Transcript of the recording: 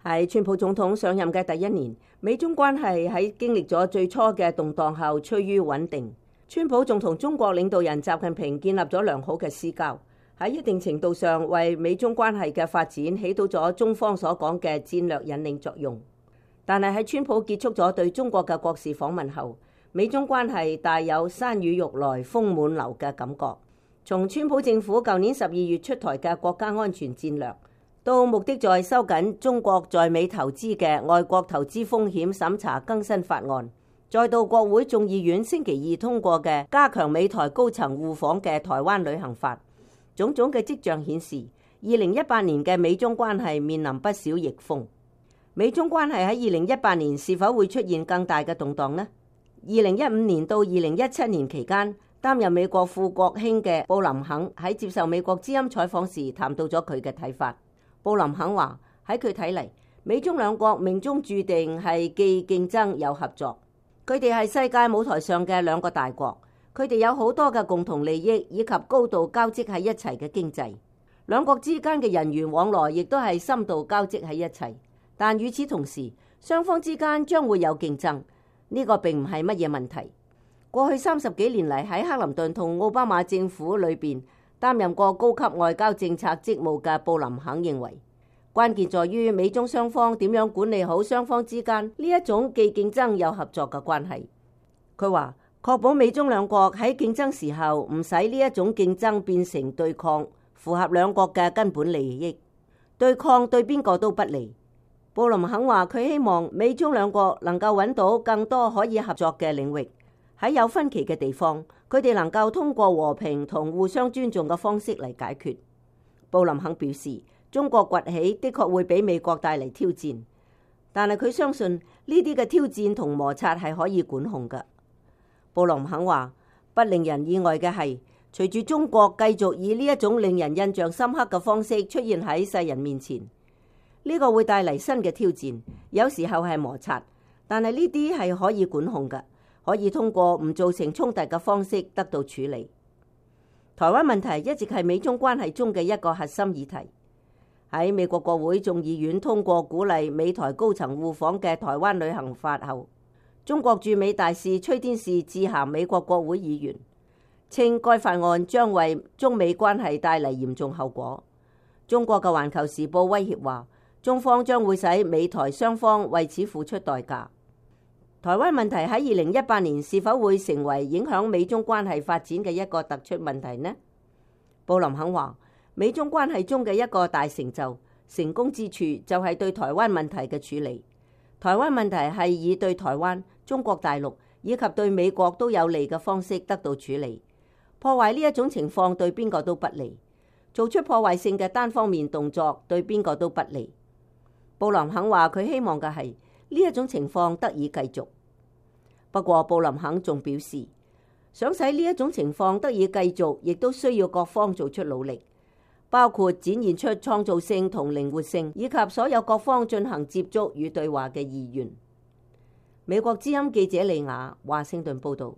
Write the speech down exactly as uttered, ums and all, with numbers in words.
喺川普總統上任嘅第一年，美中關係喺經歷咗最初嘅動盪後趨於穩定。川普仲同中國領導人習近平建立咗良好嘅私交，喺一定程度上為美中關係嘅發展起到咗中方所講嘅戰略引領作用。但係喺川普結束咗對中國嘅國事訪問後，美中關係大有山雨欲來風滿樓嘅感覺。從川普政府舊年十二月出台嘅國家安全戰略，到目的在收緊中國在美投資嘅外國投資風險審查更新法案，再到國會眾議院星期二通過嘅加強美台高層互訪嘅台灣旅行法，種種嘅跡象顯示，二零一八年嘅美中關係面臨不少逆風。美中關係喺二零一八年是否會出現更大嘅動盪呢？二零一五年到二零一七年期間，擔任美國副國卿嘅布林肯喺接受美國之音採訪時談到咗佢嘅睇法。布林肯話：喺佢睇嚟，美中兩國命中注定係既競爭又合作。佢哋係世界舞台上嘅兩個大國，佢哋有好多嘅共同利益以及高度交織喺一齊嘅經濟。兩國之間嘅人員往來亦都係深度交織喺一齊。但與此同時，雙方之間將會有競爭，呢個並唔係乜嘢問題。過去三十幾年嚟喺克林頓同奧巴馬政府裏邊擔任過高級外交政策職務嘅布林肯認為，關鍵在於美中雙方點樣管理好雙方之間呢一種既競爭又合作嘅關係。佢話確保美中兩國喺競爭時候唔使呢一種競爭變成對抗，符合兩國嘅根本利益。對抗對邊個都不利。布林肯話佢希望美中兩國能夠揾到更多可以合作嘅領域，喺有分歧嘅地方，佢哋能夠通過和平同互相尊重嘅方式嚟解決。布林肯表示，中國崛起的確會俾美國帶嚟挑戰，但係佢相信呢啲嘅挑戰同摩擦係可以管控嘅。布林肯話，不令人意外嘅係，隨住中國繼續以呢一種令人印象深刻嘅方式出現喺世人面前，呢個會帶嚟新嘅挑戰，有時候係摩擦，但係呢啲係可以管控嘅，可以通過唔造成衝突嘅方式得到處理。台灣問題一直係美中關係中嘅一個核心議題。喺美國國會眾議院通過鼓勵美台高層互訪嘅台灣旅行法後，中國駐美大使崔天士致函美國國會議員，稱該法案將為中美關係帶嚟嚴重後果。中國嘅環球時報威脅話，中方將會使美台雙方為此付出代價。台灣問題喺二零一八年是否會成為影響美中關係發展嘅一個突出問題呢？布林肯話，美中關係中嘅一個大成就、成功之處就係對台灣問題嘅處理。台灣問題係以對台灣、中國大陸以及對美國都有利嘅方式得到處理。破壞呢一種情況對邊個都不利，做出破壞性嘅單方面動作對邊個都不利。布林肯話佢希望嘅係呢一種情況得以繼續。不過布林肯仲表示，想使呢一種情況得以繼續，亦都需要各方做出努力，包括展現出創造性同靈活性，以及所有各方進行接觸與對話嘅意願。美國之音記者李雅華盛頓報道。